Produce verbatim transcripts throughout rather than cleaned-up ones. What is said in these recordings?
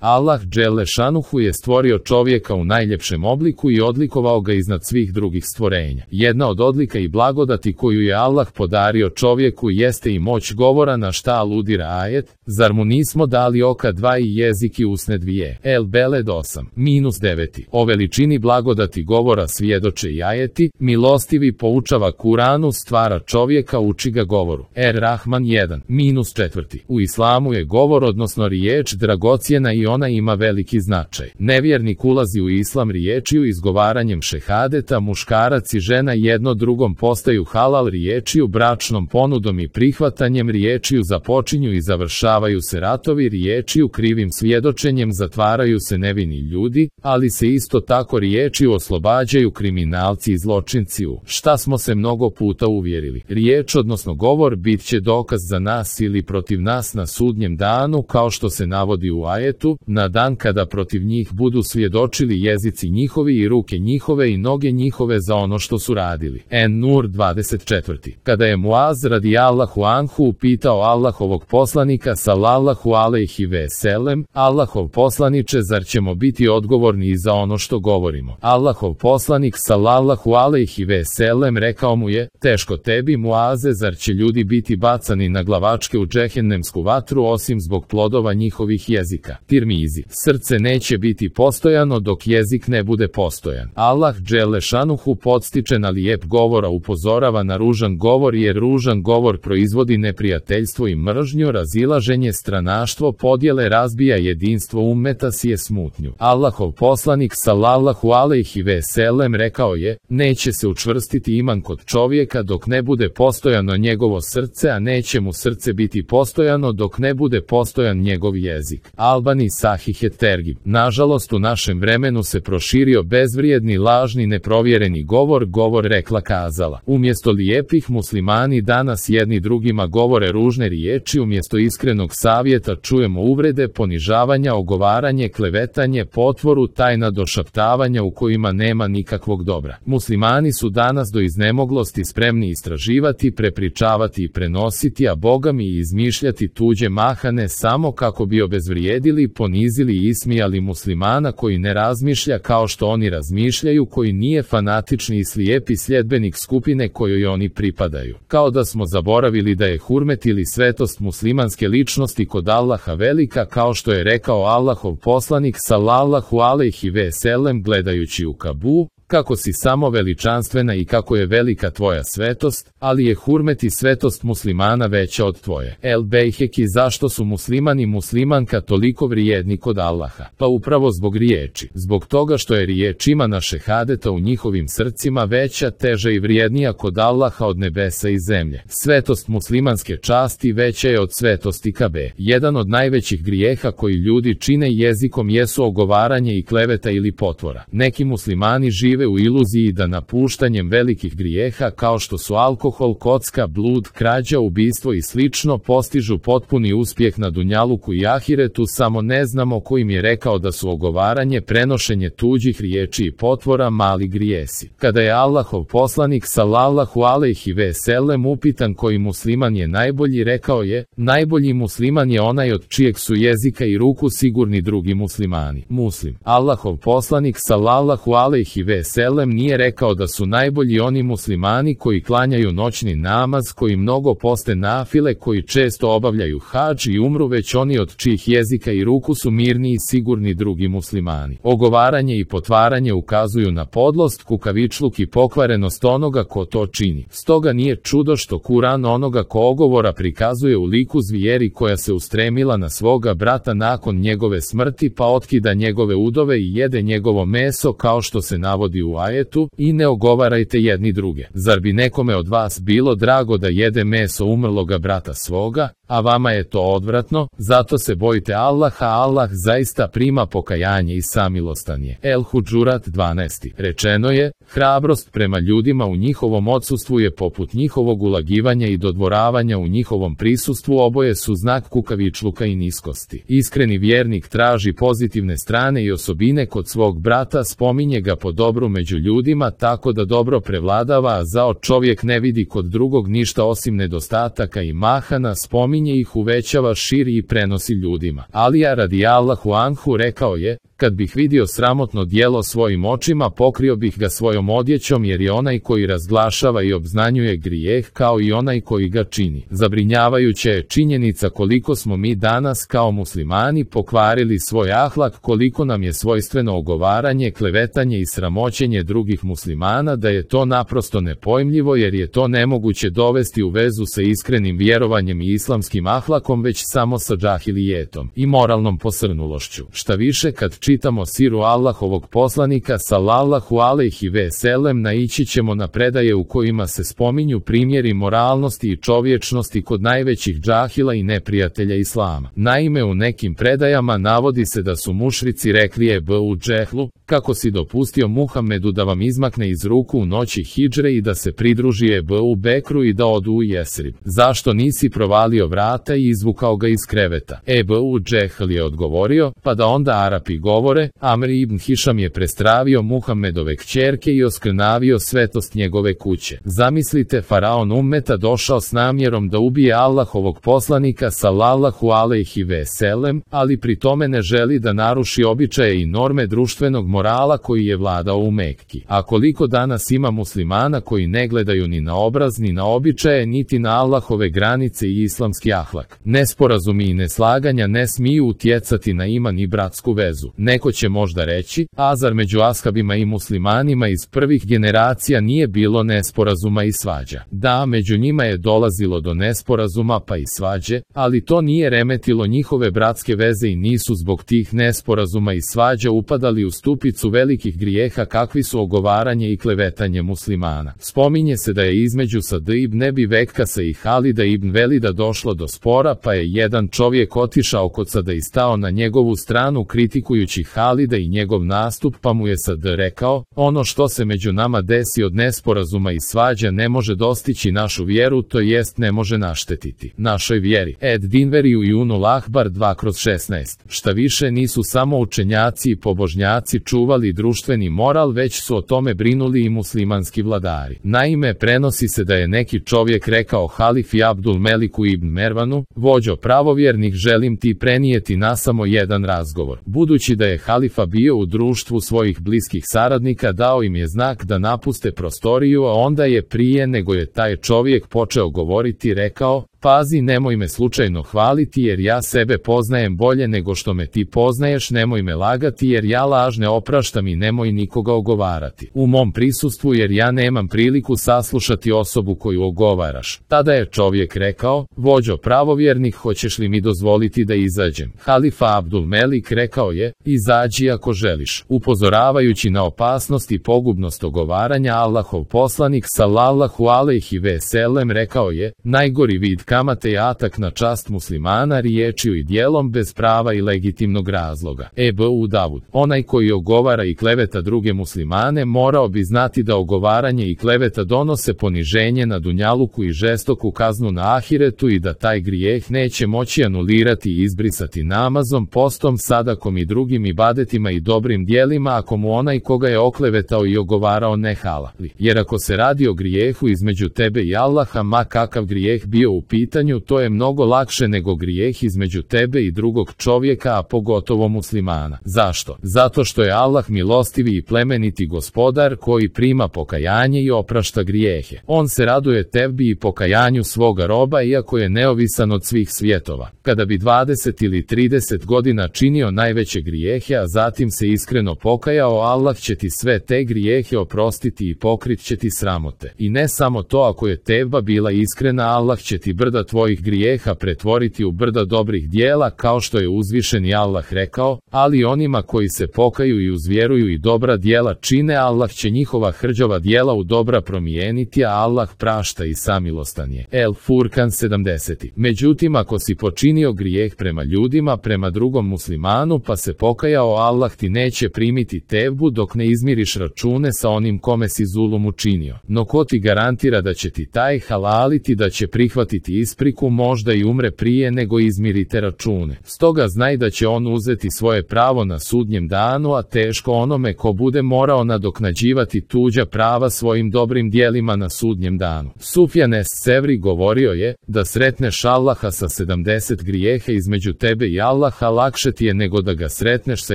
Allah dželle šanuhu je stvorio čovjeka u najljepšem obliku i odlikovao ga iznad svih drugih stvorenja. Jedna od odlika i blagodati koju je Allah podario čovjeku jeste i moć govora, na šta aludira ajet: zar mu nismo dali oka dva i jezik i usne dvije. El Beled osam minus devet. O veličini blagodati govora svjedoče i ajeti: milostivi poučava Kuranu, stvara čovjeka, uči ga govoru. Er Rahman jedan minus četiri. U islamu je govor, odnosno riječ, dragocjena i ona ima veliki značaj. Nevjernik ulazi u islam riječiju izgovaranjem šehadeta, muškarac i žena jedno drugom postaju halal riječiju, bračnom ponudom i prihvatanjem riječiju započinju i završavaju se ratovi riječiju, krivim svjedočenjem zatvaraju se nevini ljudi, ali se isto tako riječiju oslobađaju kriminalci i zločinci, u šta smo se mnogo puta uvjerili. Riječ, odnosno govor, bit će dokaz za nas ili protiv nas na sudnjem danu, kao što se navodi u ajetu: na dan kada protiv njih budu svjedočili jezici njihovi i ruke njihove i noge njihove za ono što su radili. En-Nur dvadeset četiri. Kada je Muaz radijallahu anhu upitao Allahovog poslanika sallallahu alejhi ve sellem: Allahov poslaniče, zar ćemo biti odgovorni i za ono što govorimo? Allahov poslanik sallallahu alejhi ve sellem rekao mu je: teško tebi, Muaze, zar će ljudi biti bacani na glavačke u džehennemsku vatru osim zbog plodova njihovih jezika? Tirmizi. Srce neće biti postojano dok jezik ne bude postojan. Allah dželle šanuhu podstiče na lijep govor, a upozorava na ružan govor, jer ružan govor proizvodi neprijateljstvo i mržnju, razilaženje, stranaštvo, podjele, razbija jedinstvo ummeta, sije smutnju. Allahov poslanik sallallahu alejhi ve sellem rekao je: neće se učvrstiti iman kod čovjeka dok ne bude postojano njegovo srce, a neće mu srce biti postojano dok ne bude postojan njegov jezik. Albani Sahih et-Tergib. Nažalost, u našem vremenu se proširio bezvrijedni, lažni, neprovjereni govor, govor rekla kazala. Umjesto lijepih, muslimani danas jedni drugima govore ružne riječi, umjesto iskrenog savjeta čujemo uvrede, ponižavanja, ogovaranje, klevetanje, potvoru, tajna došaptavanja u kojima nema nikakvog dobra. Muslimani su danas do iznemoglosti spremni istraživati, prepričavati i prenositi, a bogami i izmišljati tuđe mahane samo kako bi obezvrijedili, ponizili i ismijali muslimana koji ne razmišlja kao što oni razmišljaju, koji nije fanatični i slijepi sljedbenik skupine kojoj oni pripadaju. Kao da smo zaboravili da je hurmet ili svetost muslimanske ličnosti kod Allaha velika, kao što je rekao Allahov poslanik sallallahu alejhi ve sellem gledajući u Kabu: kako si samo veličanstvena i kako je velika tvoja svetost, ali je hurmet i svetost muslimana veća od tvoje. El Bejheki. Zašto su muslimani i muslimanka toliko vrijedni kod Allaha? Pa upravo zbog riječi. Zbog toga što je riječ imana šehadeta u njihovim srcima veća, teža i vrijednija kod Allaha od nebesa i zemlje. Svetost muslimanske časti veća je od svetosti Kabe. Jedan od najvećih grijeha koji ljudi čine jezikom jesu ogovaranje i kleveta ili potvora. Neki muslimani žive u iluziji da napuštanjem velikih grijeha kao što su alkohol, kocka, blud, krađa, ubistvo i slično postižu potpuni uspjeh na dunjaluku i ahiretu, samo ne znamo ko im je rekao da su ogovaranje, prenošenje tuđih riječi i potvora mali grijesi. Kada je Allahov poslanik sallallahu alejhi ve sellem upitan koji musliman je najbolji, rekao je: najbolji musliman je onaj od čijeg su jezika i ruku sigurni drugi muslimani. Muslim. Allahov poslanik sallallahu alejhi ve sellem nije rekao da su najbolji oni muslimani koji klanjaju noćni namaz, koji mnogo poste nafile, koji često obavljaju hadž i umru, već oni od čijih jezika i ruku su mirni i sigurni drugi muslimani. Ogovaranje i potvaranje ukazuju na podlost, kukavičluk i pokvarenost onoga ko to čini. Stoga nije čudo što Kuran onoga ko ogovora prikazuje u liku zvijeri koja se ustremila na svoga brata nakon njegove smrti, pa otkida njegove udove i jede njegovo meso, kao što se navodi u ajetu: i ne ogovarajte jedni druge. Zar bi nekome od vas bilo drago da jede meso umrloga brata svoga, a vama je to odvratno? Zato se bojite Allaha, Allah zaista prima pokajanje i samilostan je. El Hudžurat dvanaest. Rečeno je: hrabrost prema ljudima u njihovom odsustvu je poput njihovog ulagivanja i dodvoravanja u njihovom prisustvu, oboje su znak kukavičluka i niskosti. Iskreni vjernik traži pozitivne strane i osobine kod svog brata, spominje ga po dobru podjelu među ljudima tako da dobro prevladava, a zao čovjek ne vidi kod drugog ništa osim nedostataka i mahana, spominje ih, uvećava, širi i prenosi ljudima. Alija radijallahu anhu rekao je: kad bih vidio sramotno djelo svojim očima, pokrio bih ga svojom odjećom, jer je onaj koji razglašava i obznanjuje grijeh kao i onaj koji ga čini. Zabrinjavajuća je činjenica koliko smo mi danas kao muslimani pokvarili svoj ahlak, koliko nam je svojstveno ogovaranje, klevetanje i sramoćenje drugih muslimana, da je to naprosto nepojmljivo, jer je to nemoguće dovesti u vezu sa iskrenim vjerovanjem i islamskim ahlakom, već samo sa džahilijetom i moralnom posrnulošću. Šta više, kad čitamo siru Allahovog poslanika sallallahu alejhi ve sellem, naići ćemo na predaje u kojima se spominju primjeri moralnosti i čovječnosti kod najvećih džahila i neprijatelja islama. Naime, u nekim predajama navodi se da su mušrici rekli Ebu Džehlu: kako si dopustio Muhammedu da vam izmakne iz ruku u noći hidžre i da se pridruži Ebu Bekru i da odu u Jesrib? Zašto nisi provalio vrata i izvukao ga iz kreveta? Ebu Džehl je odgovorio: pa da onda Arapi govore, Amr ibn Hišam je prestravio Muhammedove kćerke i oskrnavio svetost njegove kuće. Zamislite, faraon ummeta došao s namjerom da ubije Allahovog poslanika sallallahu alejhi ve sellem, ali pri tome ne želi da naruši običaje i norme društvenog morala koji je vladao u Mekki. A koliko danas ima muslimana koji ne gledaju ni na obraz, ni na običaje, niti na Allahove granice i islamski ahlak. Nesporazumi i neslaganja ne smiju utjecati na iman i bratsku vezu. Neko će možda reći: a zar među ashabima i muslimanima iz prvih generacija nije bilo nesporazuma i svađa? Da, među njima je dolazilo do nesporazuma pa i svađe, ali to nije remetilo njihove bratske veze i nisu zbog tih nesporazuma i svađa upadali u stupicu velikih grijeha kakvi su ogovaranje i klevetanje muslimana. Spominje se da je između Sad ibn Ebi Vekkasa i Halida ibn Velida došlo do spora, pa je jedan čovjek otišao kod Sada i stao na njegovu stranu kritikujući Halida i njegov nastup, pa mu je Sad rekao: ono što se među nama desi od nesporazuma i svađa ne može dostići našu vjeru, to jest ne može naštetiti našoj vjeri. Ed Dinveri u Junul Ahbar dva kroz šesnaest. Šta više, nisu samo učenjaci i pobožnjaci čuvali društveni moral, već su o tome brinuli i muslimanski vladari. Naime, prenosi se da je neki čovjek rekao halifi Abdul Meliku ibn Mervanu: vođo pravovjernih, želim ti prenijeti na samo jedan razgovor. Budući da je halifa bio u društvu svojih bliskih saradnika, dao im je znak da napuste prostoriju, a onda je prije nego je taj čovjek počeo govoriti rekao: pazi, nemoj me slučajno hvaliti, jer ja sebe poznajem bolje nego što me ti poznaješ, nemoj me lagati, jer ja laž ne opraštam, i nemoj nikoga ogovarati u mom prisustvu, jer ja nemam priliku saslušati osobu koju ogovaraš. Tada je čovjek rekao: vođo pravovjernih, hoćeš li mi dozvoliti da izađem? Halifa Abdul Melik rekao je: izađi ako želiš. Upozoravajući na opasnost i pogubnost ogovaranja, Allahov poslanik sallallahu alejhi ve sellem rekao je: najgori vid kamate je atak na čast muslimana riječju i djelom bez prava i legitimnog razloga. Ebu Davud: onaj koji ogovara i kleveta druge muslimane morao bi znati da ogovaranje i kleveta donose poniženje na dunjaluku i žestoku kaznu na ahiretu, i da taj grijeh neće moći anulirati i izbrisati namazom, postom, sadakom i drugim ibadetima i dobrim djelima ako mu onaj koga je oklevetao i ogovarao ne halali. Jer ako se radi o grijehu između tebe i Allaha, ma kakav grijeh bio u pitanju, to je mnogo lakše nego grijeh između tebe i drugog čovjeka, a pogotovo muslimana. Zašto? Zato što je Allah milostivi i plemeniti gospodar koji prima pokajanje i oprašta grijehe. On se raduje tebi i pokajanju svoga roba, iako je neovisan od svih svjetova. Kada bi dvadeset ili trideset godina činio najveće grijehe, a zatim se iskreno pokajao, Allah će ti sve te grijehe oprostiti i pokrit će ti sramote. I ne samo to, ako je tevba bila iskrena, Allah će ti brda tvojih grijeha pretvoriti u brda dobrih dijela, kao što je uzvišeni Allah rekao: ali onima koji se pokaju i uzvjeruju i dobra dijela čine, Allah će njihova hrđava dijela u dobra promijeniti, a Allah prašta i samilostan je. El Furkan sedamdeset. Međutim, ako si počinio grijeh prema ljudima, prema drugom muslimanu, pa se pokajao, Allah ti neće primiti tevbu dok ne izmiriš račune sa onim kome si zulum učinio. No ko ti garantira da će ti taj halaliti, da će prihvatiti ispriku, možda i umre prije nego izmirite račune. Stoga znaj da će on uzeti svoje pravo na sudnjem danu, a teško onome ko bude morao nadoknađivati tuđa prava svojim dobrim dijelima na sudnjem danu. Sufjan es-Sevri govorio je, da sretneš Allaha sa sedamdeset grijeha između tebe i Allaha lakše ti je nego da ga sretneš sa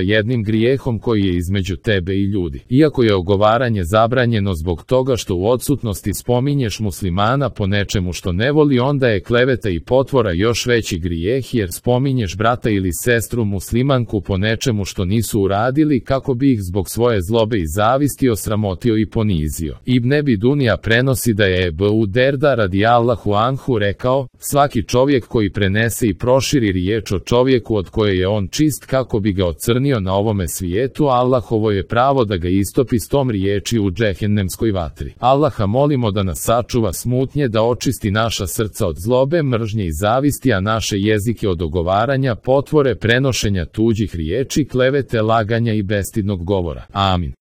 jednim grijehom koji je između tebe i ljudi. Iako je ogovaranje zabranjeno zbog toga što u odsutnosti spominješ muslimana po nečemu što ne voli, onda je kleveta i potvora još veći grijeh, jer spominješ brata ili sestru muslimanku po nečemu što nisu uradili kako bi ih zbog svoje zlobe i zavisti osramotio i ponizio. Ibn Ebi Dunija prenosi da je Ebu Derda radijallahu anhu rekao, svaki čovjek koji prenese i proširi riječ o čovjeku od koje je on čist kako bi ga ocrnio na ovome svijetu, Allahovo je pravo da ga istopi s tom riječi u džehennemskoj vatri. Allaha molimo da nas sačuva smutnje, da očisti naša srca od zlobe, mržnje i zavisti, a naše jezike od ogovaranja, potvore, prenošenja tuđih riječi, klevete, laganja i bestidnog govora. Amin.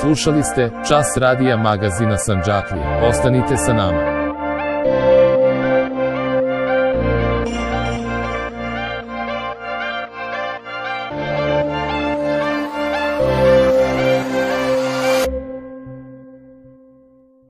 Slušali ste Čas radija magazina Sandžaklije. Ostanite sa nama.